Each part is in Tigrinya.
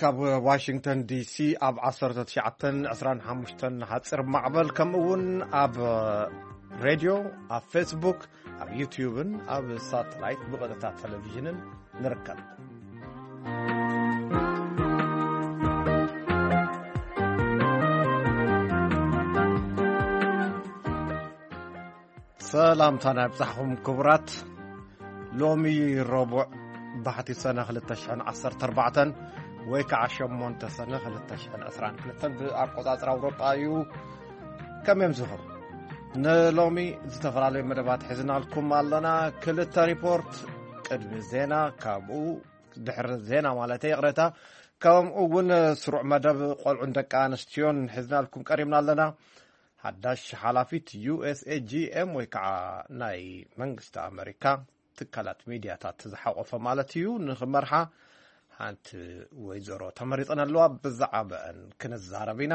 ካብ ዋሽንግተን ዲሲ ኣብ ዓሰርተ ትሽዓተን ዕስራን ሓሙሽተን ሓፂር ማዕበል፣ ከምኡ እውን ኣብ ሬድዮ፣ ኣብ ፌስቡክ፣ ኣብ ዩትዩብን ኣብ ሳተላይት ብቐጥታ ቴሌቪዥንን ንርከብ። ሰላምታና ይብጻሕኹም ክቡራት። ሎሚ ረቡዕ ባሕቲ ሰነ ክልተ ሽሕን ዓሰርተ ኣርባዕተን ወይ ከዓ ሸሞንተ ሰነ ክልተ ሽሕን ዕስራን ክልተን ብኣቆጻጽራ ኣውሮጳ እዩ። ከመይ ኣምሲኹም? ንሎሚ ዝተፈላለዩ መደባት ሒዝናልኩም ኣለና። ክልተ ሪፖርት ቅድሚ ዜና፣ ከምኡ ድሕሪ ዜና ማለተይ፣ ይቕሬታ፣ ከምኡ እውን ስሩዕ መደብ ቆልዑን ደቂ ኣንስትዮን ሒዝናልኩም ቀሪብና ኣለና። ሓዳሽ ሓላፊት ዩ ኤስ ኤ ጂ ኤም ወይ ከዓ ናይ መንግስቲ ኣመሪካ ትካላት ሚድያታት ዝሓቆፈ ማለት እዩ፣ ንኽመርሓ ሓንቲ ወይዘሮ ተመሪፀን ኣለዋ። ብዛዕባአን ክንዛረብ ኢና።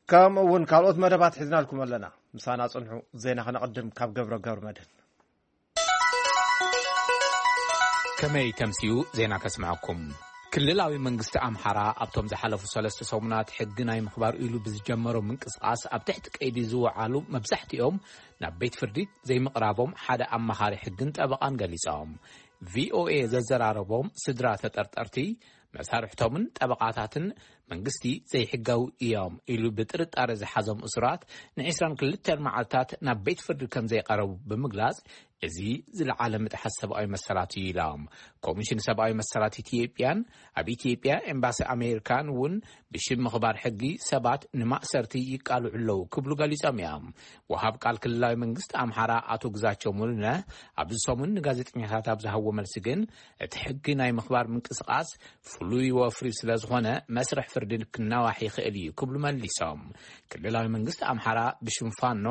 ከምኡ እውን ካልኦት መደባት ሒዝናልኩም ኣለና። ምሳና ጽንሑ። ዜና ከነቐድም ካብ ገብረ ገብረ መድህን። ከመይ ተምስዩ ዜና ከስምዐኩም። ክልላዊ መንግስቲ ኣምሓራ ኣብቶም ዝሓለፉ ሰለስተ ሰሙናት ሕጊ ናይ ምኽባር ኢሉ ብዝጀመሮ ምንቅስቓስ ኣብ ትሕቲ ቀይዲ ዝወዓሉ መብዛሕትኦም ናብ ቤት ፍርዲ ዘይምቕራቦም ሓደ ኣማኻሪ ሕግን ጠበቓን ገሊጾም። ቪ ኦ ኤ ዘዘራረቦም ስድራ ተጠርጠርቲ፣ መሳርሕቶምን ጠበቓታትን መንግስቲ ዘይሕጋዊ እዮም ኢሉ ብጥርጣረ ዝሓዞም እሱራት ንዒስራን ክልተን መዓልታት ናብ ቤት ፍርዲ ከም ዘይቀረቡ ብምግላጽ፣ እዚ ዝለዓለ ምጥሓስ ሰብኣዊ መሰላት እዩ ኢሎም። ኮሚሽን ሰብኣዊ መሰላት ኢትዮጵያን ኣብ ኢትዮጵያ ኤምባሲ ኣሜሪካን እውን ብሽም ምኽባር ሕጊ ሰባት ንማእሰርቲ ይቃልዑ ኣለዉ ክብሉ ገሊጾም እዮም። ወሃብ ቃል ክልላዊ መንግስቲ ኣምሓራ ኣቶ ግዛቸው ሙሉነህ ኣብዚ ሰሙን ንጋዜጠኛታት ኣብ ዝሃብዎ መልሲ ግን፣ እቲ ሕጊ ናይ ምኽባር ምንቅስቓስ ፍሉይ ወፍሪ ስለ ዝኾነ መስርሕ ፍርዲ ክናዋሕ ይኽእል እዩ ክብሉ መሊሶም። ክልላዊ መንግስቲ ኣምሓራ ብሽም ፋኖ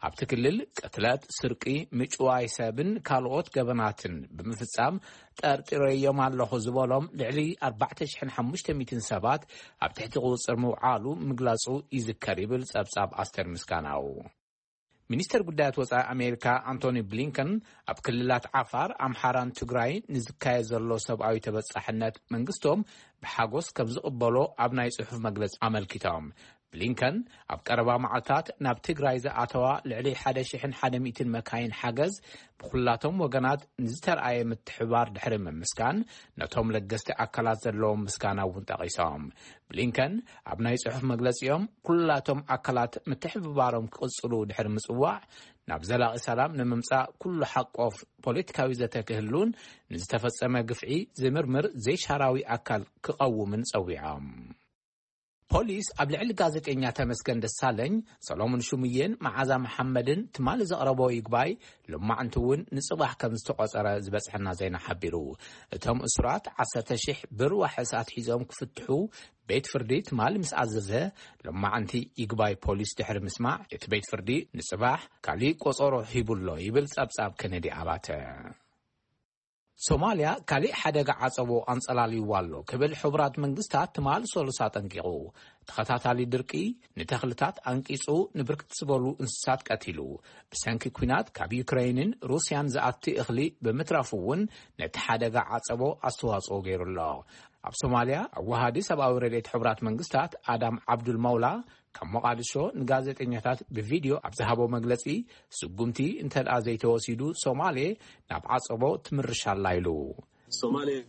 ኣብቲ ክልል ቅትለት፣ ስርቂ፣ ምጭዋይ ሰብን ካልኦት ገበናትን ብምፍጻም ጠርጢረዮም ኣለኹ ዝበሎም ልዕሊ ኣርባዕተ ሽሕን ሓሙሽተ ሚእትን ሰባት ኣብ ትሕቲ ቁጽጽር ምውዓሉ ምግላጹ ይዝከር ይብል ጸብጻብ ኣስተር ምስጋናው። ሚኒስተር ጉዳያት ወጻኢ ኣሜሪካ ኣንቶኒ ብሊንከን ኣብ ክልላት ዓፋር፣ ኣምሓራን ትግራይ ንዝካየድ ዘሎ ሰብኣዊ ተበጻሕነት መንግስቶም ብሓጎስ ከም ዝቕበሎ ኣብ ናይ ጽሑፍ መግለጺ ኣመልኪቶም። ብሊንከን ኣብ ቀረባ መዓልታት ናብ ትግራይ ዝኣተዋ ልዕሊ ሓደ ሽሕን ሓደ ሚእትን መካይን ሓገዝ ብኹላቶም ወገናት ንዝተርኣየ ምትሕባር ድሕሪ ምምስጋን፣ ነቶም ለገስቲ ኣካላት ዘለዎም ምስጋና እውን ጠቒሶም። ብሊንከን ኣብ ናይ ጽሑፍ መግለጺኦም፣ ኩላቶም ኣካላት ምትሕብባሮም ክቕጽሉ ድሕሪ ምጽዋዕ፣ ናብ ዘላቒ ሰላም ንምምጻእ ኩሉ ሓቆፍ ፖለቲካዊ ዘተ ክህሉን ንዝተፈጸመ ግፍዒ ዝምርምር ዘይሻራዊ ኣካል ክቐውምን ጸዊዖም። ፖሊስ ኣብ ልዕሊ ጋዜጠኛ ተመስገን ደሳለኝ፣ ሰሎሞን ሹምዬን መዓዛ መሓመድን ትማሊ ዘቕረቦ ይግባይ ሎማዕንቲ እውን ንጽባሕ ከም ዝተቖጸረ ዝበጽሐና ዜና ሓቢሩ። እቶም እሱራት ዓሰርተ ሺሕ ብር ዋሕስ ኣትሒዞም ክፍትሑ ቤት ፍርዲ ትማሊ ምስ ኣዘዘ፣ ሎማዕንቲ ይግባይ ፖሊስ ድሕሪ ምስማዕ፣ እቲ ቤት ፍርዲ ንጽባሕ ካሊእ ቆጸሮ ሂቡሎ ይብል ጸብጻብ ከነዲ ኣባተ። ሶማልያ ካሊእ ሓደጋ ዓጸቦ ኣንጸላልይዋ ኣሎ ክብል ሕቡራት መንግስታት ትማሊ ሰሉስ ኣጠንቂቑ። ተኸታታሊ ድርቂ ንተኽልታት ኣንቂጹ ንብርክት ዝበሉ እንስሳት ቀቲሉ። ብሰንኪ ኲናት ካብ ዩክረይንን ሩስያን ዝኣቲ እኽሊ ብምትራፉ እውን ነቲ ሓደጋ ዓጸቦ ኣስተዋጽኦ ገይሩ ኣሎ። ኣብ ሶማልያ ኣወሃዲ ሰብኣዊ ረድኤት ሕቡራት መንግስታት ኣዳም ዓብዱል መውላ ካብ ሞቓዲሾ ንጋዜጠኛታት ብቪድዮ ኣብ ዝሃቦ መግለጺ፣ ስጉምቲ እንተ ደኣ ዘይተወሲዱ ሶማሌ ናብ ዓጸቦ ትምርሽ ኣላ ኢሉ። Somalia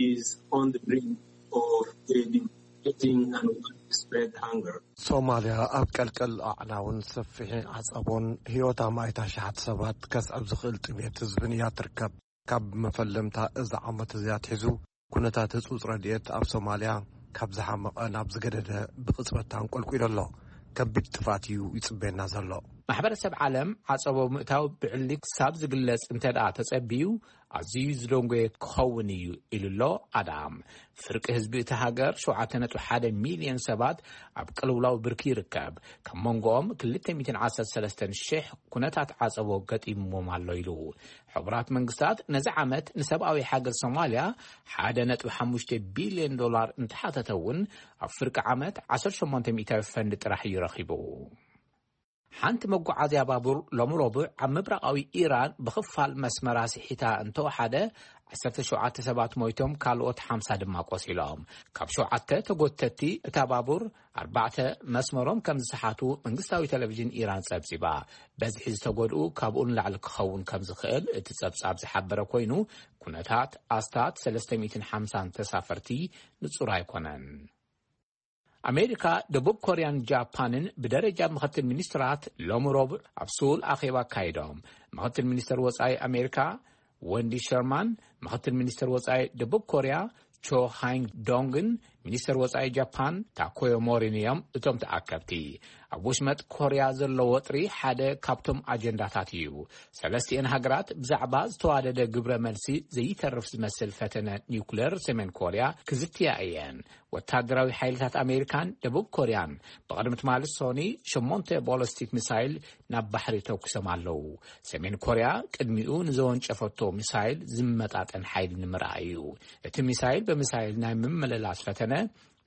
is on the brink of a devastating and widespread hunger. ሶማልያ ኣብ ቀልቀል ኣዕናውን ሰፊሕ ዓጸቦን ህይወት ኣማኢት ኣሽሓት ሰባት ከስዕብ ዝኽእል ጥሜት ህዝብን እያ ትርከብ። ካብ መፈለምታ እዚ ዓመት እዚ ኣትሒዙ፣ ኩነታት ህጹጽ ረድኤት ኣብ ሶማልያ ካብ ዝሓመቐ ናብ ዝገደደ ብቕጽበት ኣንቆልቂሉ ኣሎ። ከቢድ ጥፋት እዩ ይጽበየና ዘሎ። ማሕበረሰብ ዓለም ዓጸቦ ምእታው ብዕሊ ክሳብ ዝግለጽ እንተ ደኣ ተጸቢዩ፣ ኣዝዩ ዝደንጎየ ክኸውን እዩ ኢሉ ኣሎ ኣዳም። ፍርቂ ህዝቢ እቲ ሃገር፣ ሸውዓተ ነጥቢ ሓደ ሚልዮን ሰባት፣ ኣብ ቅልውላው ብርኪ ይርከብ። ካብ መንጎኦም ክልተ ሚእትን ዓሰርተ ሰለስተን ሽሕ ኩነታት ዓጸቦ ገጢምዎም ኣሎ ኢሉ። ሕቡራት መንግስታት ነዚ ዓመት ንሰብኣዊ ሓገዝ ሶማልያ ሓደ ነጥቢ ሓሙሽተ ቢልዮን ዶላር እንተሓተተ እውን፣ ኣብ ፍርቂ ዓመት ዓሰርተ ሸሞንተ ሚእታዊ ፈንድ ጥራሕ እዩ ረኺቡ። ሓንቲ መጓዓዝያ ባቡር ሎሚ ረቡዕ ኣብ ምብራቓዊ ኢራን ብኽፋል መስመራ ስሒታ እንተወሓደ፣ ዓሰርተ ሸውዓተ ሰባት ሞይቶም፣ ካልኦት ሓምሳ ድማ ቆሲሎም። ካብ ሸውዓተ ተጎተቲ እታ ባቡር ኣርባዕተ መስመሮም ከም ዝሰሓቱ መንግስታዊ ቴሌቪዥን ኢራን ጸብጺባ። በዝሒ ዝተጎድኡ ካብኡ ንላዕሊ ክኸውን ከም ዝኽእል እቲ ጸብጻብ ዝሓበረ ኮይኑ፣ ኩነታት ኣስታት ሰለስተ ሚእትን ሓምሳን ተሳፈርቲ ንጹር ኣይኮነን። ኣሜሪካ፣ ደቡብ ኮርያን ጃፓንን ብደረጃ ምኽትል ሚኒስትራት ሎሚ ረቡዕ ኣብ ሱል ኣኼባ ኣካይዶም። ምኽትል ሚኒስትር ወጻኢ ኣሜሪካ ወንዲ ሸርማን፣ ምኽትል ሚኒስትር ወጻኢ ደቡብ ኮርያ ቾ ሃይንግ ዶንግን ሚኒስትር ወጻኢ ጃፓን ታኮዮ ሞሪን እዮም እቶም ተኣከብቲ። ኣብ ወሽመጥ ኮርያ ዘሎ ወጥሪ ሓደ ካብቶም ኣጀንዳታት እዩ። ሰለስቲኤን ሃገራት ብዛዕባ ዝተዋደደ ግብረ መልሲ ዘይተርፍ ዝመስል ፈተነ ኒውክሌር ሰሜን ኮርያ ክዝትያ እየን። ወታደራዊ ሓይልታት ኣሜሪካን ደቡብ ኮርያን ብቕድሚ ትማሊ ሶኒ ሸሞንተ ቦለስቲክ ሚሳይል ናብ ባሕሪ ተኩሶም ኣለዉ። ሰሜን ኮርያ ቅድሚኡ ንዘወንጨፈቶ ሚሳይል ዝመጣጠን ሓይሊ ንምርኣይ እዩ። እቲ ሚሳይል ብሚሳይል ናይ ምምልላስ ፈተነ፣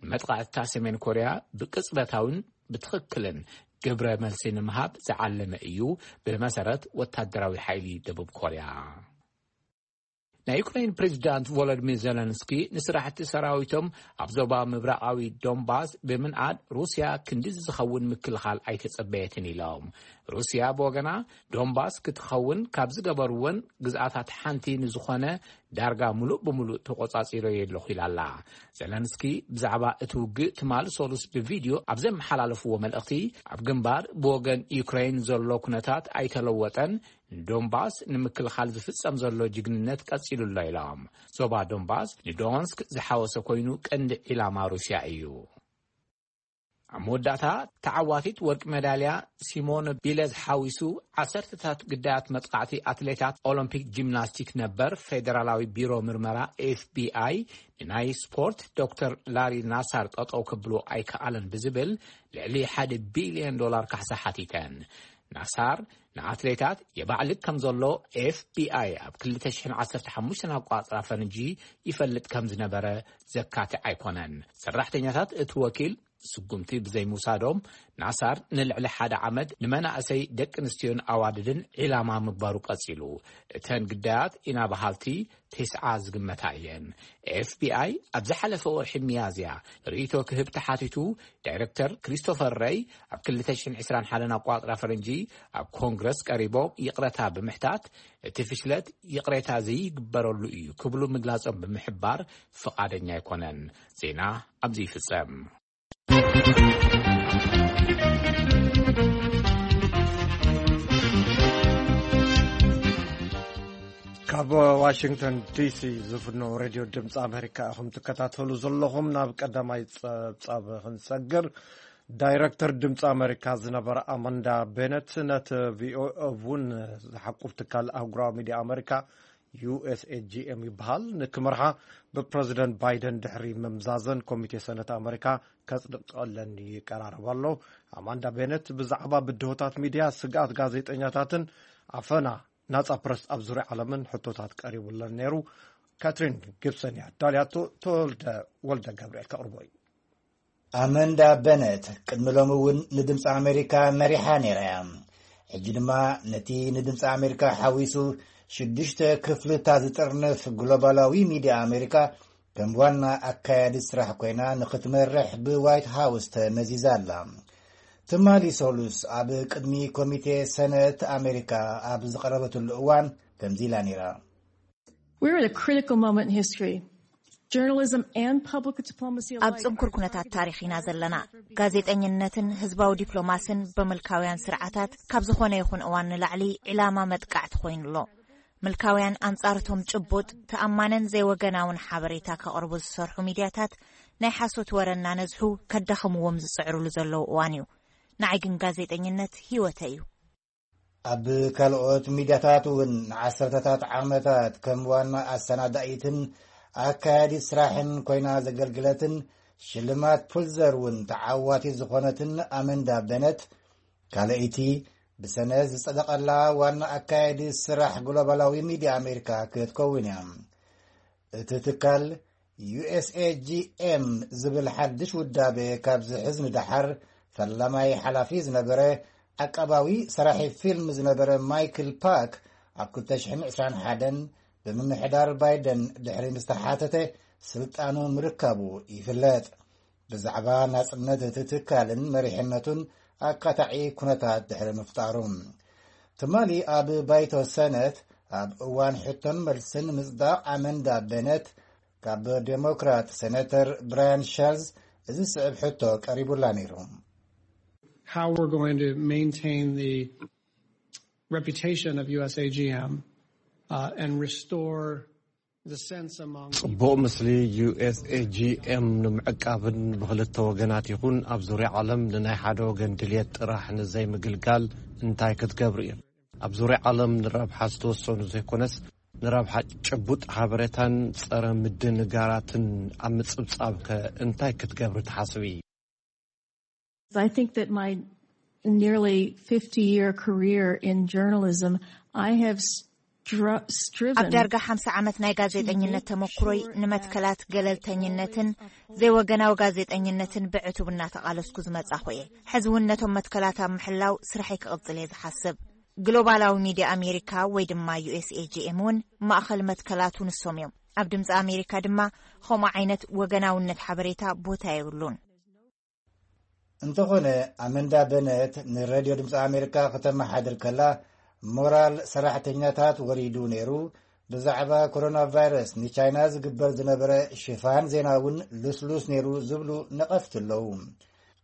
ንመጥቃዕትታ ሰሜን ኮርያ ብቅጽበታውን ብትኽክልን ግብረ መልሲ ንምሃብ ዝዓለመ እዩ፣ ብመሰረት ወታደራዊ ሓይሊ ደቡብ ኮርያ። ናይ ዩክሬን ፕሬዚዳንት ቮሎዲሚር ዜለንስኪ ንስራሕቲ ሰራዊቶም ኣብ ዞባ ምብራቓዊ ዶንባስ ብምንኣድ፣ ሩስያ ክንዲ ዝኸውን ምክልኻል ኣይተጸበየትን ኢሎም። ሩስያ ብወገና፣ ዶንባስ ክትኸውን ካብ ዝገበርወን ግዝኣታት ሓንቲ ንዝኾነ ዳርጋ ምሉእ ብምሉእ ተቖጻጺረዮ ኣለኹ ኢላ ኣላ። ዘለንስኪ ብዛዕባ እቲ ውግእ ትማሊ ሰሉስ ብቪድዮ ኣብ ዘመሓላለፍዎ መልእኽቲ፣ ኣብ ግንባር ብወገን ዩክሬን ዘሎ ኩነታት ኣይተለወጠን፣ ንዶንባስ ንምክልኻል ዝፍጸም ዘሎ ጅግንነት ቀጺሉ ኣሎ ኢሎም። ዞባ ዶንባስ ንዶንስክ ዝሓወሰ ኮይኑ፣ ቀንዲ ዒላማ ሩስያ እዩ። ኣብ መወዳእታ፣ ተዓዋቲት ወርቂ ሜዳልያ ሲሞን ቢለዝ ሓዊሱ ዓሰርተታት ግዳያት መጥቃዕቲ ኣትሌታት ኦሎምፒክ ጂምናስቲክ ነበር ፌደራላዊ ቢሮ ምርመራ ኤፍ ቢ ኣይ ንናይ ስፖርት ዶክተር ላሪ ናሳር ጠጠው ክብሉ ኣይከኣለን ብዝብል ልዕሊ ሓደ ቢልዮን ዶላር ካሕሳ ሓቲተን። ናሳር ንኣትሌታት የባዕልግ ከም ዘሎ ኤፍ ቢ ኣይ ኣብ ክልተ ሽሕን ዓሰርተ ሓሙሽተን ኣቋጽራ ፈረንጂ ይፈልጥ ከም ዝነበረ ዘካትዕ ኣይኮነን። ሰራሕተኛታት እቲ ወኪል ስጉምቲ ብዘይምውሳዶም፣ ናሳር ንልዕሊ ሓደ ዓመት ንመናእሰይ ደቂ ኣንስትዮን ኣዋልድን ዒላማ ምግባሩ ቀጺሉ። እተን ግዳያት ኢና በሃልቲ ተስዓ ዝግመታ እየን። ኤፍ ቢ ኣይ ኣብ ዝሓለፈ ወርሒ ሚያዝያ ርእይቶ ክህብ ተሓቲቱ፣ ዳይረክተር ክሪስቶፈር ረይ ኣብ ክልተ ሽሕን ዕስራን ሓደን ኣቋጽራ ፈረንጂ ኣብ ኮንግረስ ቀሪቦም ይቕረታ ብምሕታት፣ እቲ ፍሽለት ይቕሬታ ዘይግበረሉ እዩ ክብሉ ምግላጾም ብምሕባር፣ ፍቓደኛ ኣይኮነን። ዜና ኣብዚ ይፍጸም። ካብ ዋሽንግተን ዲሲ ዝፍኖ ሬድዮ ድምፂ ኣሜሪካ ኢኹም ትከታተሉ ዘለኹም። ናብ ቀዳማይ ጸብጻብ ክንሰግር፣ ዳይረክተር ድምፂ ኣሜሪካ ዝነበረ ኣማንዳ ቤነት ነቲ ቪኦኤ እውን ዝሓቁፍ ትካል ኣህጉራዊ ሚድያ ኣሜሪካ ዩ ኤስ ኤ ጂ ኤም ይበሃል፣ ንክመርሓ ብፕረዚደንት ባይደን ድሕሪ ምምዛዘን ኮሚቴ ሰነት ኣመሪካ ከጽድቀለን ይቀራረብ ኣሎ። ኣማንዳ ቤነት ብዛዕባ ብድሆታት ሚድያ፣ ስግኣት ጋዜጠኛታትን ኣፈና ናጻ ፕረስ ኣብ ዙርያ ዓለምን ሕቶታት ቀሪቡለን ነይሩ። ካትሪን ጊብሰን እያ ዳልያቶ። ተወልደ ወልደ ገብርኤል ከቕርቦ እዩ። ኣመንዳ በነት ቅድሚ ሎሚ እውን ንድምፂ ኣሜሪካ መሪሓ ነይራ እያ። ሕጂ ድማ ነቲ ንድምፂ ኣሜሪካ ሓዊሱ ሽዱሽተ ክፍልታት ዝጥርንፍ ግሎባላዊ ሚድያ ኣሜሪካ ከም ዋና ኣካያዲ ስራሕ ኮይና ንክትመርሕ ብዋይት ሃውስ ተመዚዛ ኣላ። ትማሊ ሰሉስ ኣብ ቅድሚ ኮሚቴ ሰነት ኣሜሪካ ኣብ ዝቐረበትሉ እዋን ከምዚ ኢላ ነይራ። We're at a critical moment in history. Journalism and public diplomacy ኣብ alike ጽንኩር ኩነታት ታሪኽ ኢና ዘለና። ጋዜጠኝነትን ህዝባዊ ዲፕሎማስን ብምልካውያን ስርዓታት ካብ ዝኾነ ይኹን እዋን ንላዕሊ ዕላማ መጥቃዕቲ ኮይኑ ኣሎ። ምልካውያን ኣንጻር እቶም ጭቡጥ፣ ተኣማንን ዘይወገናውን ሓበሬታ ከቕርቡ ዝሰርሑ ሚድያታት ናይ ሓሶት ወረ እናነዝሑ ከዳኽምዎም ዝጽዕሩሉ ዘለዉ እዋን እዩ። ንዓይ ግን ጋዜጠኝነት ህይወተይ እዩ። ኣብ ካልኦት ሚድያታት እውን ንዓሰርተታት ዓመታት ከም ዋና ኣሰናዳኢትን ኣካያዲት ስራሕን ኮይና ዘገልግለትን ሽልማት ፑልዘር እውን ተዓዋቲት ዝኾነትን ኣመንዳ በነት፣ ካልኣይቲ ብሰነ ዝጸደቐላ ዋና ኣካያዲት ስራሕ ግሎባላዊ ሚድያ ኣሜሪካ ክትከውን እያ። እቲ ትካል ዩ ኤስ ኤ ጂ ኤም ዝብል ሓድሽ ውዳቤ ካብ ዝሕዝ ንደሓር፣ ፈላማይ ሓላፊ ዝነበረ፣ ዓቃባዊ ሰራሒ ፊልም ዝነበረ ማይክል ፓክ ኣብ ክልተ ሽሕን ዕስራን ሓደን ብምምሕዳር ባይደን ድሕሪ ምስ ተሓተተ ስልጣኑ ምርካቡ ይፍለጥ። ብዛዕባ ናጽነት እቲ ትካልን መሪሕነቱን ኣካታዒ ኩነታት ድሕሪ ምፍጣሩ፣ ትማሊ ኣብ ባይቶ ሰነት ኣብ እዋን ሕቶን መልስን ምጽዳቕ ኣመንዳ ቤነት ካብ ዴሞክራት ሴኔተር ብራያን ሸልዝ እዚ ዝስዕብ ሕቶ ቀሪቡላ ነይሩ። How we're going to maintain the reputation of U S A G M uh, and restore the sense among ጽቡቕ ምስሊ ዩ ኤስ ኤ ጂ ኤም ንምዕቃብን ብኽልተ ወገናት ይኹን ኣብ ዙርያ ዓለም ንናይ ሓደ ወገን ድልየት ጥራሕ ንዘይምግልጋል እንታይ ክትገብሩ እዩ? ኣብ ዙርያ ዓለም ንረብሓ ዝተወሰኑ ዘይኮነስ ንረብሓ ጭቡጥ ሓበሬታን ጸረ ምድንጋራትን ኣብ ምጽብጻብ ከ እንታይ ክትገብሪ ትሓስቢ? I think that my nearly fifty year career in journalism, I have stru- striven ኣብ ዳርጋ ሓምሳ ዓመት ናይ ጋዜጠኝነት ተመክሮይ ንመትከላት ገለልተኝነትን ዘይወገናዊ ጋዜጠኝነትን ብዕቱብ እናተቓለስኩ ዝመጻኹ እየ። ሕዚ እውን ነቶም መትከላት ኣብ ምሕላው ስራሐይ ክቕጽል እየ ዝሓስብ። ግሎባላዊ ሚድያ ኣሜሪካ ወይ ድማ ዩ ኤስ ኤ ጂ ኤም እውን ማእኸል መትከላቱ ንሶም እዮም። ኣብ ድምፂ ኣሜሪካ ድማ ከምኡ ዓይነት ወገናውነት ሓበሬታ ቦታ የብሉን። እንተኾነ ኣመንዳ በነት ንሬድዮ ድምፂ ኣሜሪካ ከተመሓድር ከላ ሞራል ሰራሕተኛታት ወሪዱ ነይሩ፣ ብዛዕባ ኮሮና ቫይረስ ንቻይና ዝግበር ዝነበረ ሽፋን ዜና እውን ልስሉስ ነይሩ ዝብሉ ነቐፍቲ ኣለዉ።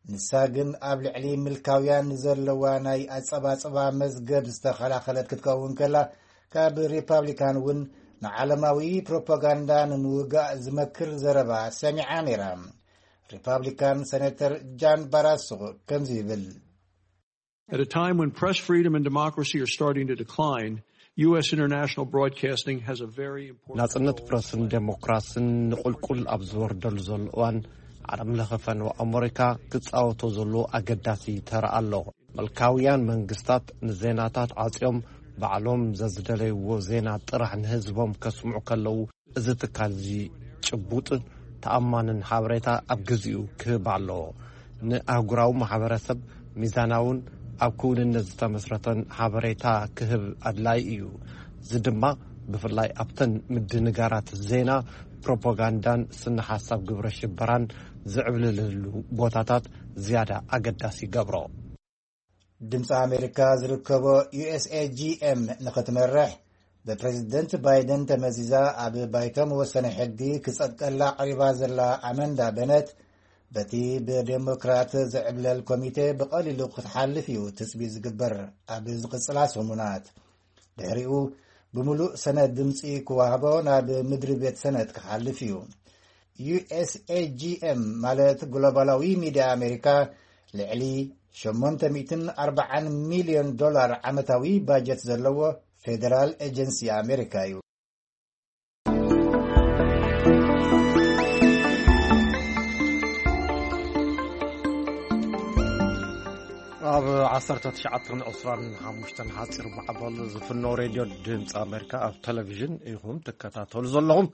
ንሳ ግን ኣብ ልዕሊ ምልካውያን ዘለዋ ናይ ኣጸባጽባ መዝገብ ዝተኸላኸለት ክትከውን ከላ ካብ ሪፓብሊካን እውን ንዓለማዊ ፕሮፓጋንዳ ንምውጋእ ዝመክር ዘረባ ሰሚዓ ነይራ። ሪፓብሊካን ሴኔተር ጃን ባራሶ ከምዚ ይብል። At a time when press freedom and democracy are starting to decline, U S international broadcasting has a very important ናጽነት role. ፕረስን ዴሞክራስን ንቁልቁል ኣብ ዝወርደሉ ዘሎ እዋን ዓለም ለኸ ፈነወ ኣመሪካ ክጻወቶ ዘለዎ ኣገዳሲ ተራ ኣሎ። ምልካውያን መንግስታት ንዜናታት ዓጽዮም ባዕሎም ዘዝደለይዎ ዜና ጥራሕ ንህዝቦም ከስምዑ ከለዉ እዚ ትካል እዚ ጭቡጥን ተኣማንን ሓበሬታ ኣብ ግዚኡ ክህብ ኣለዎ። ንኣህጉራዊ ማሕበረሰብ ሚዛናውን ኣብ ክውንነት ዝተመስረተን ሓበሬታ ክህብ ኣድላይ እዩ። እዚ ድማ ብፍላይ ኣብተን ምድንጋራት ዜና፣ ፕሮፓጋንዳን ስነ ሓሳብ ግብረ ሽበራን ዝዕብልልሉ ቦታታት ዝያዳ ኣገዳሲ ይገብሮ። ድምፂ ኣሜሪካ ዝርከቦ ዩ ኤስ ኤ ጂ ኤም ንኽትመርሕ ብፕሬዝደንት ባይደን ተመዚዛ ኣብ ባይቶ መወሰኒ ሕጊ ክጸድቀላ ቀሪባ ዘላ ኣመንዳ በነት በቲ ብዴሞክራት ዝዕብለል ኮሚቴ ብቐሊሉ ክትሓልፍ እዩ ትጽቢት ዝግበር። ኣብ ዝቕጽላ ሰሙናት ድሕሪኡ ብምሉእ ሰነድ ድምፂ ክዋህቦ ናብ ምድሪ ቤት ሰነድ ክሓልፍ እዩ። ዩ ኤስ ኤ ጂ ኤም ማለት ግሎባላዊ ሚድያ ኣሜሪካ ልዕሊ ሸሞንተ ሚእትን ኣርባዓን ሚልዮን ዶላር ዓመታዊ ባጀት ዘለዎ ፌደራል ኤጀንሲ ኣሜሪካ እዩ። ኣብ ዓሰርተ ትሽዓተን ዕስራን ሓሙሽተን ሓፂር ማዕበል ዝፍኖ ሬድዮ ድምፂ ኣሜሪካ ኣብ ቴሌቪዥን ኢኹም ትከታተሉ ዘለኹም።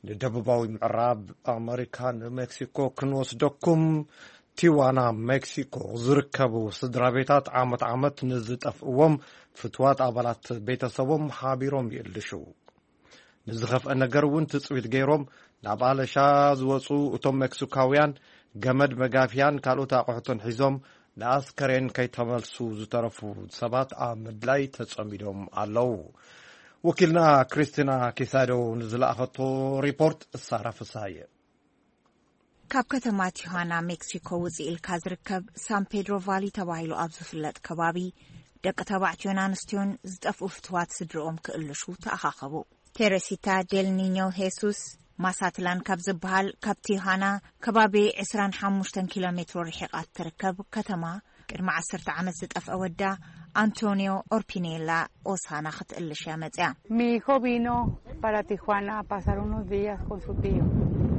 ንደቡባዊ ምዕራብ ኣመሪካ ንሜክሲኮ ክንወስደኩም። ቲዋና ሜክሲኮ ዝርከቡ ስድራ ቤታት ዓመት ዓመት ንዝጠፍእዎም ፍትዋት ኣባላት ቤተሰቦም ሓቢሮም ይእልሹ። ንዝኸፍአ ነገር እውን ትጽቢት ገይሮም ናብ ኣለሻ ዝወጹ እቶም ሜክሲካውያን ገመድ መጋፍያን ካልኦት ኣቑሑትን ሒዞም ንኣስከሬን ከይተመልሱ ዝተረፉ ሰባት ኣብ ምድላይ ተጸሚዶም ኣለዉ። ወኪልና ክሪስቲና ኪሳዶ ንዝለኣኸቶ ሪፖርት እሳራ ፍሳየ። ካብ ከተማ ቲሃና ሜክሲኮ ውፅእ ኢልካ ዝርከብ ሳን ፔድሮ ቫሊ ተባሂሉ ኣብ ዝፍለጥ ከባቢ ደቂ ተባዕትዮን ኣንስትዮን ዝጠፍኡ ፍትዋት ስድርኦም ክእልሹ ተኣኻኸቡ። ቴሬሲታ ዴል ኒኞ ሄሱስ ማሳትላን ካብ ዝበሃል ካብ ቲሃና ከባቢ ዕስራን ሓሙሽተን ኪሎ ሜትሮ ርሒቓ እትርከብ ከተማ ቅድሚ ዓሰርተ ዓመት ዝጠፍአ ወዳ ኣንቶኒዮ ኦርፒኔላ ኦሳና ክትእልሽ እያ መፅያ። Mi hijo vino para Tijuana a pasar unos días con su tío.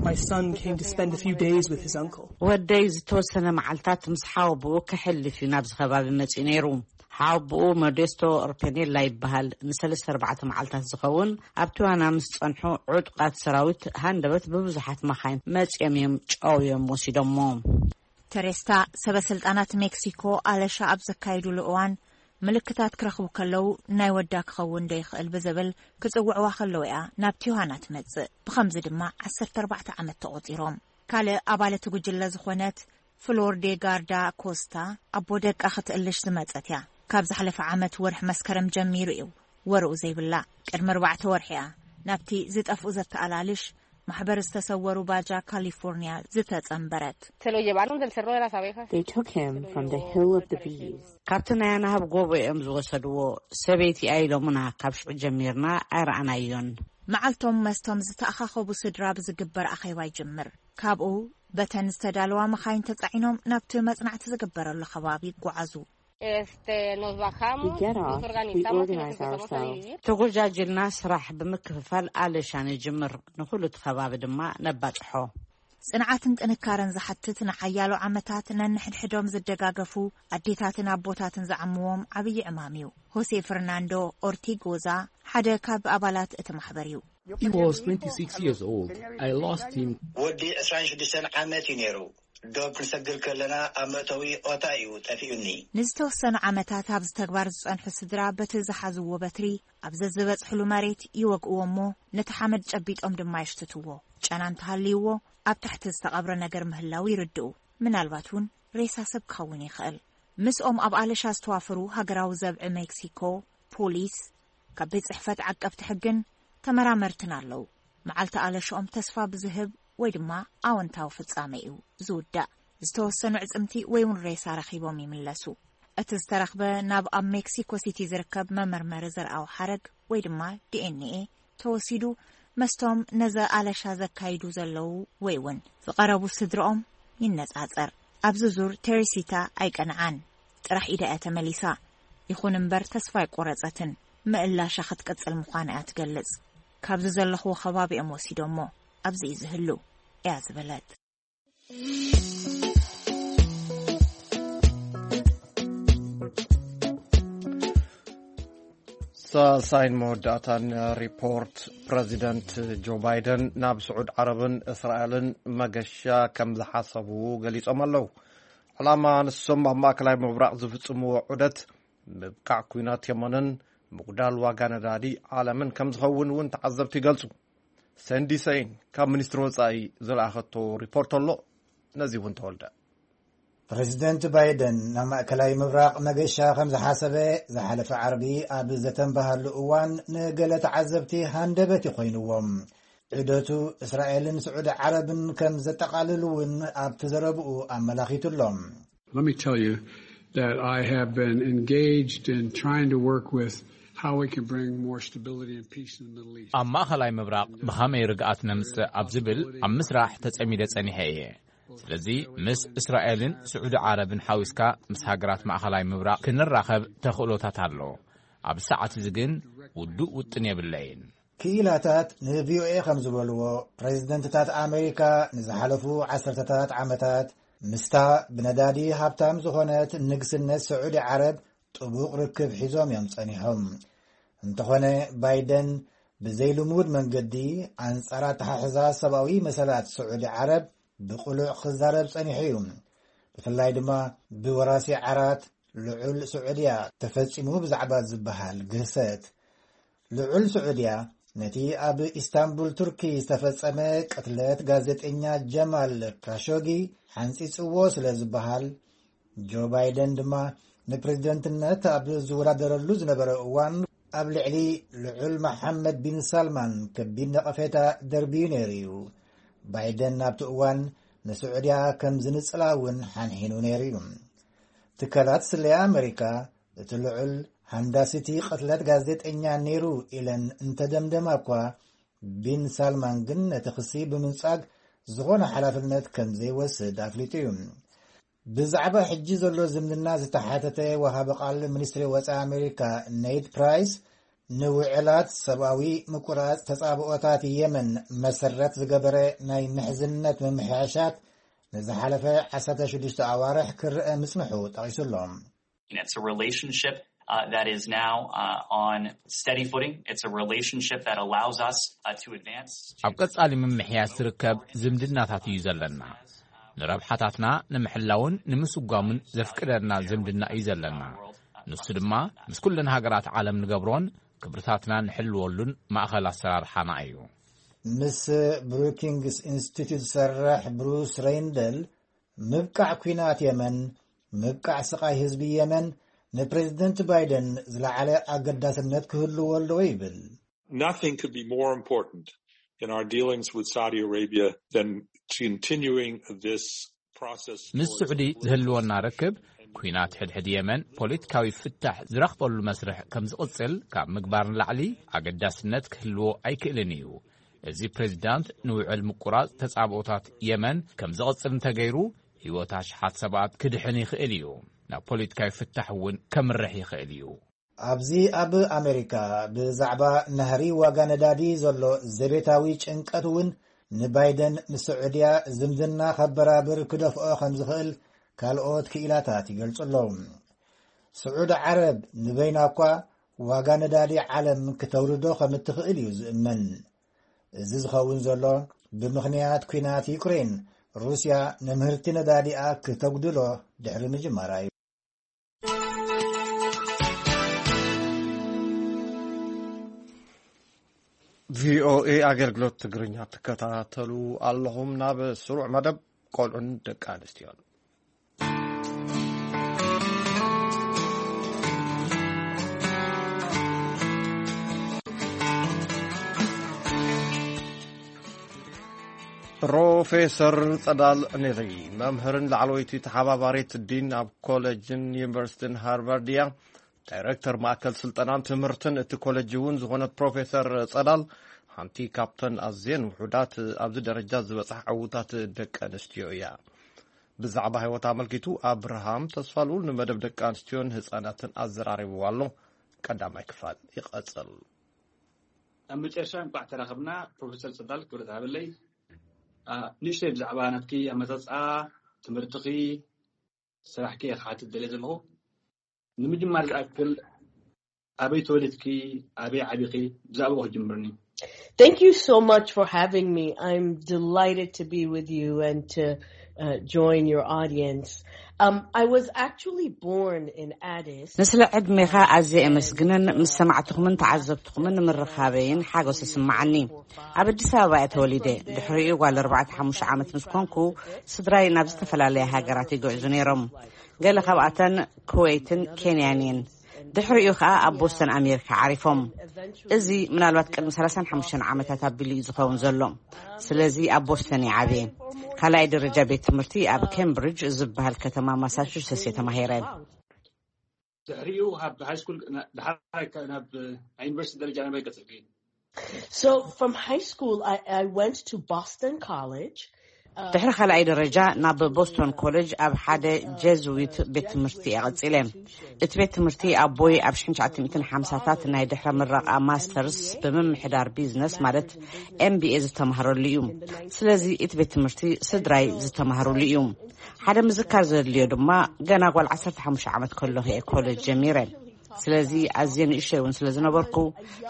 My son came to spend a few days with his uncle. ወደይ ዝተወሰነ መዓልታት ምስ ሓወብኡ ከሕልፍ እዩ ናብዚ ከባቢ መጺኡ ነይሩ። ሓወብኡ ሞዴስቶ ኦርፔኔላ ይበሃል። ንሰለስተ ኣርባዕተ መዓልታት ዝኸውን ኣብ ቲዋና ምስ ጸንሑ ዕጡቓት ሰራዊት ሃንደበት ብብዙሓት መኻይን መጺኦም እዮም ጨውዮም ወሲዶሞ። ተሬስታ ሰበ ስልጣናት ሜክሲኮ ኣለሻ ኣብ ዘካየዱሉ እዋን ምልክታት ክረኽቡ ከለዉ፣ ናይ ወዳ ክኸውን ዶ ይኽእል ብዝብል ክጽውዕዋ ከለዉ እያ ናብ ቲዩሃና ትመጽእ። ብኸምዚ ድማ ዓሰርተ ኣርባዕተ ዓመት ተቖጺሮም። ካልእ ኣባል እቲ ጉጅለ ዝኾነት ፍሎር ዴ ጋርዳ ኮስታ፣ ኣቦ ደቃ ክትእልሽ ዝመጸት እያ። ካብ ዝሓለፈ ዓመት ወርሒ መስከረም ጀሚሩ እዩ ወርኡ ዘይብላ። ቅድሚ ኣርባዕተ ወርሒ እያ ናብቲ ዝጠፍኡ ዘተኣላልሽ ማሕበር ዝተሰወሩ ባጃ ካሊፎርኒያ ዝተጸንበረት። Se lo llevaron del cerro de las abejas. They took him from the Hill of the Bees. ካብቲ ናይ ኣናህብ ጎቦ እዮም ዝወሰድዎ። ሰበይቲ ኢሎምና፣ ካብ ሽዑ ጀሚርና ኣይረኣናዮን። መዓልቶም መስቶም ዝተኣኻኸቡ ስድራ ብዝግበር ኣኼባ ይጅምር። ካብኡ በተን ዝተዳለዋ መኻይን ተጻዒኖም ናብቲ መጽናዕቲ ዝግበረሉ ከባቢ ይጓዓዙ። Este, nos bajamos, We get off, nos we organizamos y nos organize empezamos a ourselves. dividir. ተጎጃጅልና ስራሕ ብምክፍፋል ኣለሻ ንጅምር። ንኹሉ እቲ ከባቢ ድማ ነባጽሖ። ጽንዓትን ጥንካረን ዝሓትት፣ ንሓያሎ ዓመታት ነንሕድሕዶም ዝደጋገፉ ኣዴታትን ኣቦታትን ዝዓምዎም ዓብዪ ዕማም እዩ። ሆሴ ፈርናንዶ ኦርቲጎዛ ሓደ ካብ ኣባላት እቲ ማሕበር እዩ። He was twenty-six years old. I lost him. ወዲ ዕስራን ሽዱሽተን ዓመት እዩ ነይሩ። ዶብ ክንሰግር ከለና ኣብ መእተዊ ኦታ እዩ ጠፊኡኒ። ንዝተወሰኑ ዓመታት ኣብዚ ተግባር ዝጸንሑ ስድራ በቲ ዝሓዝዎ በትሪ ኣብ ዘዝበጽሕሉ መሬት ይወግእዎ እሞ ነቲ ሓመድ ጨቢጦም ድማ የሽትትዎ። ጨና እንተሃልይዎ ኣብ ታሕቲ ዝተቐብረ ነገር ምህላው ይርድኡ። ምናልባት እውን ሬሳ ሰብ ክኸውን ይኽእል። ምስኦም ኣብ ኣለሻ ዝተዋፈሩ ሃገራዊ ዘብዒ ሜክሲኮ፣ ፖሊስ፣ ካብ ቤት ጽሕፈት ዓቀብቲ ሕግን ተመራመርትን ኣለዉ። መዓልቲ ኣለሽኦም ተስፋ ብዝህብ ወይ ድማ ኣወንታዊ ፍጻመ እዩ ዝውዳእ። ዝተወሰኑ ዕጽምቲ ወይ እውን ሬሳ ረኺቦም ይምለሱ። እቲ ዝተረኽበ ናብ ኣብ ሜክሲኮ ሲቲ ዝርከብ መመርመሪ ዘርኣዊ ሓረግ ወይ ድማ ዲ ኤን ኤ ተወሲዱ መስቶም ነዚ ኣለሻ ዘካይዱ ዘለዉ ወይ እውን ዝቐረቡ ስድርኦም ይነጻጸር። ኣብዚ ዙር ቴሬሲታ ኣይቀንዓን። ጥራሕ ኢዳ እያ ተመሊሳ። ይኹን እምበር ተስፋ ኣይቆረጸትን። ምእላሻ ክትቅጽል ምዃና እያ ትገልጽ። ካብዚ ዘለኽዎ ከባቢ እዮም ወሲዶሞ። ኣብዚ እዩ ዝህሉ እያ ዝበለት። ሳልሳይን መወዳእታን ሪፖርት። ፕረዚደንት ጆ ባይደን ናብ ስዑድ ዓረብን እስራኤልን መገሻ ከም ዝሓሰቡ ገሊጾም ኣለዉ። ዕላማ ንሶም ኣብ ማእከላይ ምብራቕ ዝፍጽምዎ ዑደት ምብቃዕ ኲናት የመንን ምጉዳል ዋጋ ነዳዲ ዓለምን ከም ዝኸውን እውን ተዓዘብቲ ይገልጹ። ሰንዲ ሰይን ካብ ሚኒስትሪ ወጻኢ ዝለኣኸቶ ሪፖርት ኣሎ። ነዚ እውን ተወልደ። ፕረዚደንት ባይደን ናብ ማእከላይ ምብራቕ መገሻ ከም ዝሓሰበ ዝሓለፈ ዓርቢ ኣብ ዘተንበሃሉ እዋን ንገለ ተዓዘብቲ ሃንደበት ይኾይንዎም። ዑደቱ እስራኤልን ስዑዲ ዓረብን ከም ዘጠቓልል እውን ኣብቲ ዘረብኡ ኣመላኺቱ ኣሎ። Let me tell you that I have been engaged in trying to work with how we can bring more stability and peace in the Middle East. ኣብ ማእኸላይ ምብራቕ ብኸመይ ርግኣት ነምጽእ ኣብ ዝብል ኣብ ምስራሕ ተጸሚደ ጸኒሐ እየ። ስለዚ ምስ እስራኤልን ስዑዲ ዓረብን ሓዊስካ ምስ ሃገራት ማእኸላይ ምብራቕ ክንራኸብ ተኽእሎታት ኣሎ። ኣብ ሰዓት እዚ ግን ውዱእ ውጥን የብለይን። ክኢላታት ንቪኦኤ ከም ዝበልዎ፣ ፕረዚደንትታት ኣሜሪካ ንዝሓለፉ ዓሰርተታት ዓመታት ምስታ ብነዳዲ ሃብታም ዝኾነት ንግስነት ስዑዲ ዓረብ ጥቡቕ ርክብ ሒዞም እዮም ጸኒሖም። እንተኾነ፣ ባይደን ብዘይልሙድ መንገዲ ኣንጻር ኣተሓሕዛ ሰብኣዊ መሰላት ስዑዲ ዓረብ ብቕሉዕ ክዛረብ ጸኒሑ እዩ። ብፍላይ ድማ ብወራሲ ዓራት ልዑል ስዑድያ ተፈጺሙ ብዛዕባ ዝበሃል ግህሰት። ልዑል ስዑድያ ነቲ ኣብ ኢስታንቡል ቱርኪ ዝተፈጸመ ቅትለት ጋዜጠኛ ጀማል ካሾጊ ሓንጺጽዎ ስለ ዝበሃል፣ ጆ ባይደን ድማ ንፕሬዝደንትነት ኣብ ዝወዳደረሉ ዝነበረ እዋን ኣብ ልዕሊ ልዑል መሓመድ ቢን ሳልማን ከቢድ ነቐፌታ ደርብዩ ነይሩ እዩ። ባይደን ኣብቲ እዋን ንስዑድያ ከም ዝንጽላ እውን ሓንሒኑ ነይሩ እዩ። ትካላት ስለያ ኣመሪካ እቲ ልዑል ሃንዳሲቲ ቅትለት ጋዜጠኛ ነይሩ ኢለን እንተደምደማ እኳ፣ ቢን ሳልማን ግን ነቲ ክሲ ብምንጻግ ዝኾነ ሓላፍነት ከም ዘይወስድ ኣፍሊጡ እዩ። ብዛዕባ ሕጂ ዘሎ ዝምድና ዝተሓተተ ወሃቢ ቃል ሚኒስትሪ ወጻኢ ኣሜሪካ ኔድ ፕራይስ፣ ንውዕላት ሰብኣዊ ምቁራጽ ተጻብኦታት የመን መሰረት ዝገበረ ናይ ምሕዝነት ምምሕያሻት ንዝሓለፈ ዓሰርተ ሽዱሽተ ኣዋርሕ ክረአ ምጽንሑ ጠቒሱ ኣሎ። It's a relationship uh, that is now uh, on steady footing. It's a relationship that allows us uh, to advance. ኣብ ቀጻሊ ምምሕያሽ ዝርከብ ዝምድናታት እዩ ዘለና። ንረብሓታትና ንምሕላውን ንምስጓምን ዘፍቅደና ዝምድና እዩ ዘለና። ንሱ ድማ ምስ ኩለን ሃገራት ዓለም ንገብሮን ክብርታትና ንሕልወሉን ማእኸል ኣሰራርሓና እዩ። ምስ ብሩኪንግስ ኢንስቲትዩት ዝሰርሕ ብሩስ ሬይንደል፣ ምብቃዕ ኲናት የመን፣ ምብቃዕ ስቓይ ህዝቢ የመን ንፕሬዝደንት ባይደን ዝለዓለ ኣገዳስነት ክህልዎ ኣለዎ ይብል። Nothing could be more important in our dealings with Saudi Arabia than continuing this process. ምስ ስዑዲ ዝህልወና ርክብ፣ ኲናት ሕድሕድ የመን ፖለቲካዊ ፍታሕ ዝረኽበሉ መስርሕ ከም ዝቕጽል ካብ ምግባር ንላዕሊ ኣገዳስነት ክህልዎ ኣይክእልን እዩ። እዚ ፕሬዚዳንት ንውዕል ምቁራጽ ተጻብኦታት የመን ከም ዝቕጽል እንተገይሩ፣ ህይወት ኣሽሓት ሰባት ክድሕን ይኽእል እዩ። ናብ ፖለቲካዊ ፍታሕ እውን ከምርሕ ይኽእል እዩ። ኣብዚ ኣብ ኣሜሪካ ብዛዕባ ናህሪ ዋጋ ነዳዲ ዘሎ ዘቤታዊ ጭንቀት እውን ንባይደን ምስ ስዑድያ ዝምድና ከበራብር ክደፍኦ ከም ዝኽእል ካልኦት ክኢላታት ይገልጹ ኣለዉ። ስዑድ ዓረብ ንበይና እኳ ዋጋ ነዳዲ ዓለም ክተውርዶ ከም እትኽእል እዩ ዝእመን። እዚ ዝኸውን ዘሎ ብምኽንያት ኲናት ዩክሬን፣ ሩስያ ንምህርቲ ነዳዲኣ ክተጉድሎ ድሕሪ ምጅማራ እዩ። ቪኦኤ ኣገልግሎት ትግርኛ ትከታተሉ ኣለኹም። ናብ ስሩዕ መደብ ቆልዑን ደቂ ኣንስትዮን። ፕሮፌሰር ጸዳል ኔሪ፣ መምህርን ላዕለወይቲ ተሓባባሪት ዲን ኣብ ኮሌጅን ዩኒቨርሲቲን ሃርቫርድ እያ። ዳይረክተር ማእከል ስልጠናን ትምህርትን እቲ ኮሌጅ እውን ዝኾነት ፕሮፌሰር ጸዳል፣ ሓንቲ ካብተን ኣዝየን ውሑዳት ኣብዚ ደረጃ ዝበጽሓ ዕዉታት ደቂ ኣንስትዮ እያ። ብዛዕባ ህይወት ኣመልኪቱ ኣብርሃም ተስፋልኡል ንመደብ ደቂ ኣንስትዮን ህጻናትን ኣዘራሪብዋ ኣሎ። ቀዳማይ ክፋል ይቐጽል። ኣብ መጨረሻ እንቋዕ ተራኸብና። ፕሮፌሰር ጸዳል ክብረት ሃበለይ፣ ንእሽተይ ብዛዕባ ናትኪ ኣመጻጽኣ ትምህርትኺ፣ ስራሕኪ እየ ክሓትት ደልየ ዘለኹ። ንምጅማር ዝኣክል ኣበይ ተወሊድኪ፣ ኣበይ ዓቢኺ? ብዛዕባኡ ክጅምርኒ። Thank you so much for having me. I'm delighted to be with you and to uh, join your audience. Um, I was actually born in Addis. ንስለ ዕድሜኻ ኣዝየ የመስግንን ምስ ሰማዕትኹምን ተዓዘብትኹምን ንምርኻበይን ሓጎስ ይስምዓኒ። ኣብ ኣዲስ ኣበባ እየ ተወሊደ። ድሕሪኡ ጓል ኣርባዕተ ሓሙሽተ ዓመት ምስ ኮንኩ ስድራይ ናብ ዝተፈላለያ ሃገራት ይግዕዙ ነይሮም። ገለ ካብኣተን ኩዌትን ኬንያን እየን። ድሕሪኡ ከኣ ኣብ ቦስተን ኣሜሪካ ዓሪፎም። እዚ ምናልባት ቅድሚ ሰላሳን ሓሙሽተን ዓመታት ኣቢሉ እዩ ዝኸውን ዘሎ። ስለዚ ኣብ ቦስተን እየ ዓብየ። ካልኣይ ደረጃ ቤት ትምህርቲ ኣብ ኬምብሪጅ ዝበሃል ከተማ ማሳቹሰትስ እየ ተማሂረ። ድሕሪኡ ካብ ሃይስኩል ድሓር ናብ ዩኒቨርሲቲ ደረጃ ናበይ ቀጽልኪ? So from high school, I, I went to Boston College. ድሕሪ ካልኣይ ደረጃ ናብ ቦስቶን ኮሌጅ ኣብ ሓደ ጀዝዊት ቤት ትምህርቲ እየ ቀጺለ። እቲ ቤት ትምህርቲ ኣቦይ ኣብ ሽሕን ትሽዓተ ሚእትን ሓምሳታት ናይ ድሕረ ምረቓ ማስተርስ ብምምሕዳር ቢዝነስ ማለት ኤምቢኤ ዝተማህረሉ እዩ። ስለዚ እቲ ቤት ትምህርቲ ስድራይ ዝተማህሩሉ እዩ። ሓደ ምዝካር ዘድልዮ ድማ ገና ጓል ዓሰርተ ሓሙሽተ ዓመት ከለኹ እየ ኮሌጅ ጀሚረ። ስለዚ ኣዝየ ንእሽተይ እውን ስለ ዝነበርኩ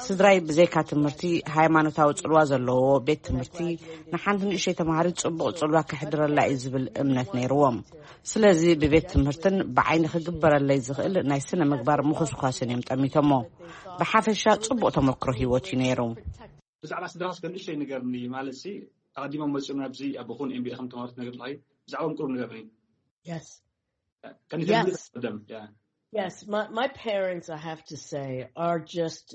ስድራይ ብዘይካ ትምህርቲ ሃይማኖታዊ ጽልዋ ዘለዎ ቤት ትምህርቲ ንሓንቲ ንእሽተይ ተማሃሪት ጽቡቕ ጽልዋ ከሕድረላ እዩ ዝብል እምነት ነይርዎም። ስለዚ ብቤት ትምህርትን ብዓይኒ ክግበረለይ ዝኽእል ናይ ስነ ምግባር ምኹስኳስን እዮም ጠሚቶሞ። ብሓፈሻ ጽቡቕ ተመክሮ ህይወት እዩ ነይሩ። ብዛዕባ ስድራስ ከንእሽተይ ንገርኒ ማለት ሲ ኣቐዲሞም መፅኦም ናብዚ ኣቦኹን ኤምቢኤ ከም ተማሃሩ ትነግር ኣለኺ። ብዛዕባኦም ቁሩብ ንገርኒ። Yes. ከኒተ Yes. ቀደም ያ Yes, my, my parents, I have to say, are just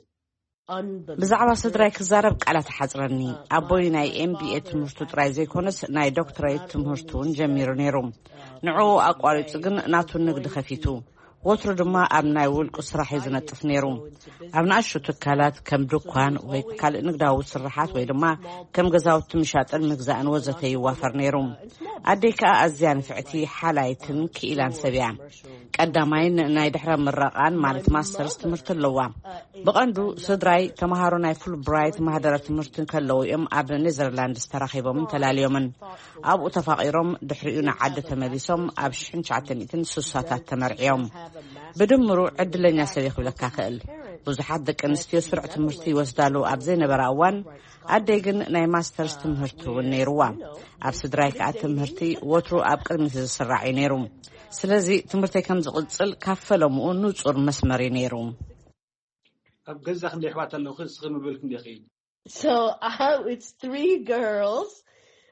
unbelievable. ብዛዕባ ስድራይ ክዛረብ ቃላት ሓጽረኒ። ኣቦይ ናይ ኤምቢኤ ትምህርቱ ጥራይ ዘይኮነስ ናይ ዶክትሬት ትምህርቱ እውን ጀሚሩ ነይሩ። ንዕኡ ኣቋሪጹ ግን ናቱ ንግዲ ከፊቱ። ወትሩ ድማ ኣብ ናይ ውልቁ ስራሕ እዩ ዝነጥፍ ነይሩ። ኣብ ንኣሽቱ ትካላት ከም ድኳን ወይ ካልእ ንግዳዊ ስርሓት ወይ ድማ ከም ገዛውቲ ምሻጥን ምግዛእን ወዘተ ይዋፈር ነይሩ። ኣደይ ከኣ ኣዝያ ንፍዕቲ ሓላይትን ክኢላን ሰብ እያ። ቀዳማይን ናይ ድሕረ ምረቓን ማለት ማስተርስ ትምህርቲ ኣለዋ። ብቐንዱ ስድራይ ተምሃሮ ናይ ፉል ብራይት ማህደረ ትምህርቲ ከለዉ እዮም ኣብ ኔዘርላንድስ ተራኺቦምን ተላልዮምን። ኣብኡ ተፋቒሮም ድሕሪኡ ንዓዲ ተመሊሶም ኣብ ሽሕን ትሽዓተ ሚእትን ስሳታት ተመርዕዮም። ብድምሩ ዕድለኛ ሰብ እየ ክብለካ ክእል። ብዙሓት ደቂ ኣንስትዮ ስሩዕ ትምህርቲ ይወስዳሉ ኣብ ዘይነበራ እዋን ኣደይ ግን ናይ ማስተርስ ትምህርቲ እውን ነይርዋ። ኣብ ስድራይ ከኣ ትምህርቲ ወትሩ ኣብ ቅድሚት ዝስራዕ እዩ ነይሩ። ስለዚ ትምህርተይ ከም ዝቕጽል ካብ ፈለምኡ ንጹር መስመር እዩ ነይሩ። ኣብ ገዛ ክንደይ ኣሕዋት ኣለውኺ? እስኺ ምብል ክንደይ ኺ? So uh, it's three girls.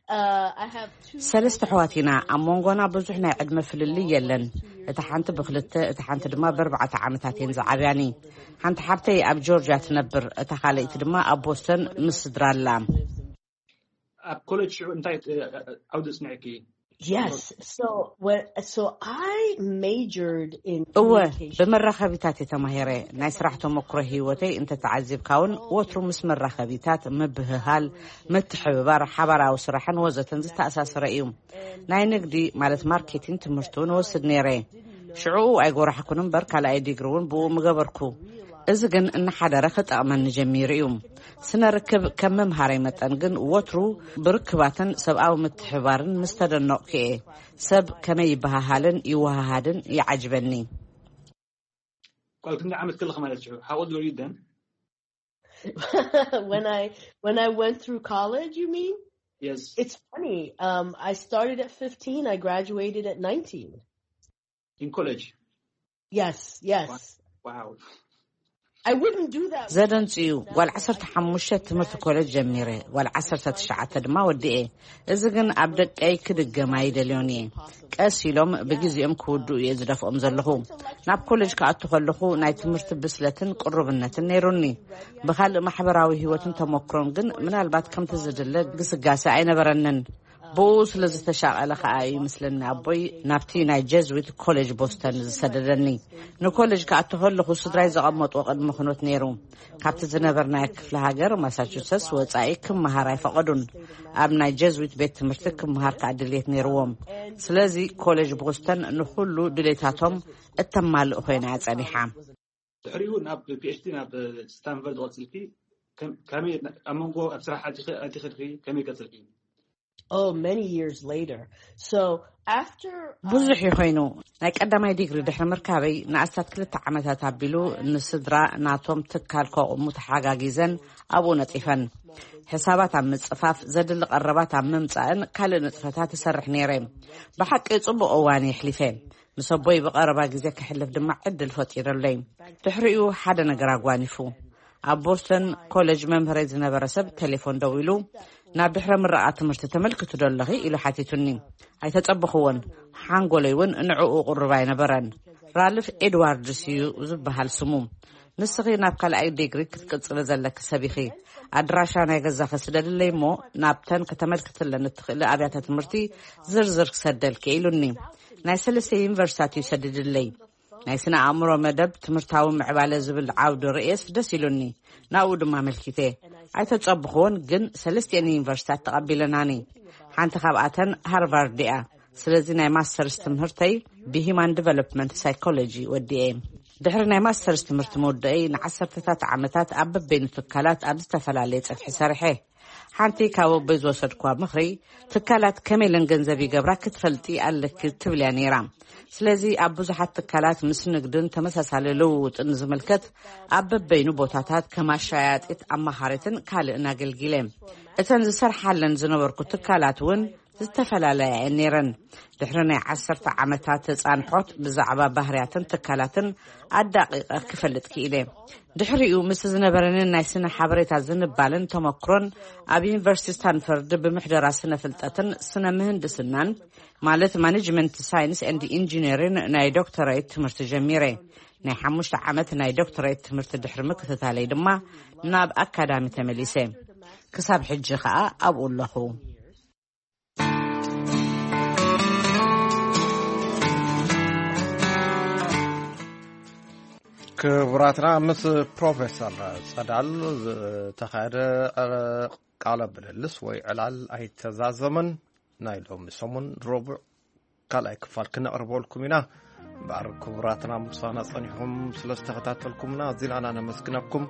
Uh, I have two. ሰለስተ ኣሕዋት ኢና። ኣብ መንጎና ብዙሕ ናይ ዕድመ ፍልልይ የለን። እታ ሓንቲ ብክልተ፣ እታ ሓንቲ ድማ ብኣርባዕተ ዓመታት እየን ዝዓብያኒ። ሓንቲ ሓብተይ ኣብ ጆርጅያ ትነብር፣ እታ ካልኣይቲ ድማ ኣብ ቦስተን ምስ ስድራ ኣላ። ኣብ ኮሌጅ ሽዑ እንታይ እ፣ ዓውዲ ጽኒዕኪ? Yes. So what? So I majored in እወ፣ communication. ብመራኸቢታት እየ ተማሂረ። ናይ ስራሕ ተመክሮ ህይወተይ እንተተዓዚብካ እውን ወትሩ ምስ መራኸቢታት ምብህሃል፣ ምትሕብባር፣ ሓባራዊ ስራሕን ወዘተን ዝተኣሳሰረ እዩ። ናይ ንግዲ ማለት ማርኬቲንግ ትምህርቲ እውን ወስድ ነይረ። ሽዕኡ ኣይጎራሕኩን እምበር ካልኣይ ዲግሪ እውን ብኡ ምገበርኩ። እዚ ግን እናሓደረ ክጠቕመኒ ጀሚሩ እዩ። ስነ ርክብ ከም ምምሃረይ መጠን ግን ወትሩ ብርክባትን ሰብኣዊ ምትሕባርን ምስ ተደነቕኩ እየ ሰብ ከመይ ይበሃሃልን ይወሃሃድን ይዓጅበኒ። ቋል ክንደይ ዓመት ከለኺ ማለት እዩ? How old were you then? When I when I went through college, you mean? Yes. It's funny. Um, I started at fifteen. I graduated at nineteen. In college. Yes, yes. Wow. I wouldn't do that. ዘደንጽ እዩ። ጓል ዓሰርተ ሓሙሽተ ትምህርቲ ኮሌጅ ጀሚረ፣ ጓል ዓሰርተ ትሽዓተ ድማ ወዲኤ። እዚ ግን ኣብ ደቀይ ክድገም ኣይደልዮን እየ። ቀስ ኢሎም ብግዜኦም ክውድኡ እየ ዝደፍኦም ዘለኹ። ናብ ኮሌጅ ክኣቱ ከለኹ ናይ ትምህርቲ ብስለትን ቅሩብነትን ነይሩኒ። ብኻልእ ማሕበራዊ ህይወትን ተመክሮን ግን ምናልባት ከምቲ ዝድለ ግስጋሴ ኣይነበረንን። ብኡ ስለ ዝተሻቐለ ከኣ እዩ ምስለኒ ኣቦይ ናብቲ ናይ ጀዝዊት ኮሌጅ ቦስተን ዝሰደደኒ። ንኮሌጅ ክኣቱ ከለኹ ስድራይ ዘቐመጥዎ ቅድሚ ኩነት ነይሩ። ካብቲ ዝነበርናዮ ክፍለ ሃገር ማሳቹሰትስ ወጻኢ ክመሃር ኣይፈቐዱን። ኣብ ናይ ጀዝዊት ቤት ትምህርቲ ክመሃር ከኣ ድልየት ነይርዎም። ስለዚ ኮሌጅ ቦስተን ንኹሉ ድሌታቶም እተማልእ ኮይና እያ ጸኒሓ። ድሕሪኡ ናብ ፒኤችዲ ናብ ስታንፈርድ ቀጽልኪ። ከም- ከመይ ኣብ መንጎ ኣብ ስራሕ ኣቲኺ ኣቲኺ ድኺ ከመይ ቀጽልኪ? Oh, many years later. So after I- ብዙሕ እዩ ኮይኑ። ናይ ቀዳማይ ዲግሪ ድሕሪ ምርካበይ ንኣስታት ክልተ ዓመታት ኣቢሉ ንስድራ ናቶም ትካል ከቑሙ ተሓጋጊዘን ኣብኡ ነጢፈን። ሕሳባት ኣብ ምጽፋፍ፣ ዘድሊ ቀረባት ኣብ ምምጻእን ካልእ ንጥፈታት ይሰርሕ ነይረ። ብሓቂ ጽቡቕ እዋን የሕሊፈ። ምስ ኣቦይ ብቐረባ ግዜ ከሕልፍ ድማ ዕድል ፈጢረለይ። ድሕሪኡ ሓደ ነገር ኣጓኒፉ። ኣብ ቦስተን ኮሌጅ መምህረይ ዝነበረ ሰብ ቴሌፎን ደዊሉ፣ ናብ ድሕረ ምረቓ ትምህርቲ ተመልክቱ ዶ ኣለኺ ኢሉ ሓቲቱኒ። ኣይተጸበኽዎን። ሓንጎለይ እውን ንዕኡ ቅሩብ ኣይነበረን። ራልፍ ኤድዋርድስ እዩ ዝበሃል ስሙ። ንስኺ ናብ ካልኣይ ዲግሪ ክትቅጽሊ ዘለኪ ሰብ ኢኺ። ኣድራሻ ናይ ገዛኺ ስደድለይ እሞ ናብተን ከተመልክትለን እትኽእሊ ኣብያተ ትምህርቲ ዝርዝር ክሰደልኪ ኢሉኒ። ናይ ሰለስተ ዩኒቨርሲታት እዩ ሰዲድለይ። ናይ ስነ ኣእምሮ መደብ ትምህርታዊ ምዕባለ ዝብል ዓውዲ ርእየስ ደስ ኢሉኒ። ናብኡ ድማ ኣመልኪተ። ኣይተጸብኽዎን፣ ግን ሰለስቲኤን ዩኒቨርሲታት ተቐቢለናኒ። ሓንቲ ካብኣተን ሃርቫርድ እያ። ስለዚ ናይ ማስተርስ ትምህርተይ ብሂማን ዲቨሎፕመንት ሳይኮሎጂ ወዲኤ። ድሕሪ ናይ ማስተርስ ትምህርቲ ምውደአይ ንዓሰርተታት ዓመታት ኣብ በበይኑ ትካላት ኣብ ዝተፈላለየ ጽፍሒ ሰሪሐ። ሓንቲ ካብ ኣቦይ ዝወሰድኩዋ ምኽሪ፣ ትካላት ከመይ ኢለን ገንዘብ ይገብራ ክትፈልጢ ኣለኪ ትብል እያ ነይራ። ስለዚ ኣብ ብዙሓት ትካላት ምስ ንግድን ተመሳሳሊ ልውውጥን ዝምልከት ኣብ በበይኑ ቦታታት ከም ኣሻያጢት፣ ኣማኻሪትን ካልእን ኣገልጊለ። እተን ዝሰርሓለን ዝነበርኩ ትካላት እውን ዝተፈላለያ እየን ነይረን። ድሕሪ ናይ ዓሰርተ ዓመታት ተጻንሖት ብዛዕባ ባህርያትን ትካላትን ኣዳቒቐ ክፈልጥ ክኢለ። ድሕሪኡ ምስ ዝነበረንን ናይ ስነ ሓበሬታ ዝንባልን ተመክሮን ኣብ ዩኒቨርሲቲ ስታንፈርድ ብምሕደራ ስነ ፍልጠትን ስነ ምህንድስናን ማለት ማኔጅመንት ሳይንስ ኤንድ ኢንጂነሪን ናይ ዶክተሬት ትምህርቲ ጀሚረ። ናይ ሓሙሽተ ዓመት ናይ ዶክተሬት ትምህርቲ ድሕሪ ምክትታለይ ድማ ናብ ኣካዳሚ ተመሊሰ። ክሳብ ሕጂ ኸኣ ኣብኡ ኣለኹ። ክቡራትና ምስ ፕሮፌሰር ጸዳል ዝተኻየደ ቃለ ምልልስ ወይ ዕላል ኣይተዛዘመን። ናይ ሎሚ ሰሙን ረቡዕ ካልኣይ ክፋል ክነቕርበልኩም ኢና። እምበኣር ክቡራትና ምሳና ጸኒሕኩም ስለ ዝተኸታተልኩምና ኣዚና ነመስግነኩም።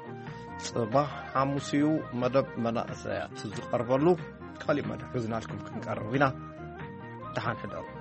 ጽባሕ ሓሙስ እዩ መደብ መናእሰያት ዝቐርበሉ ካሊእ መደብ ሒዝናልኩም ክንቀርብ ኢና። ደሓን ሕደሩ።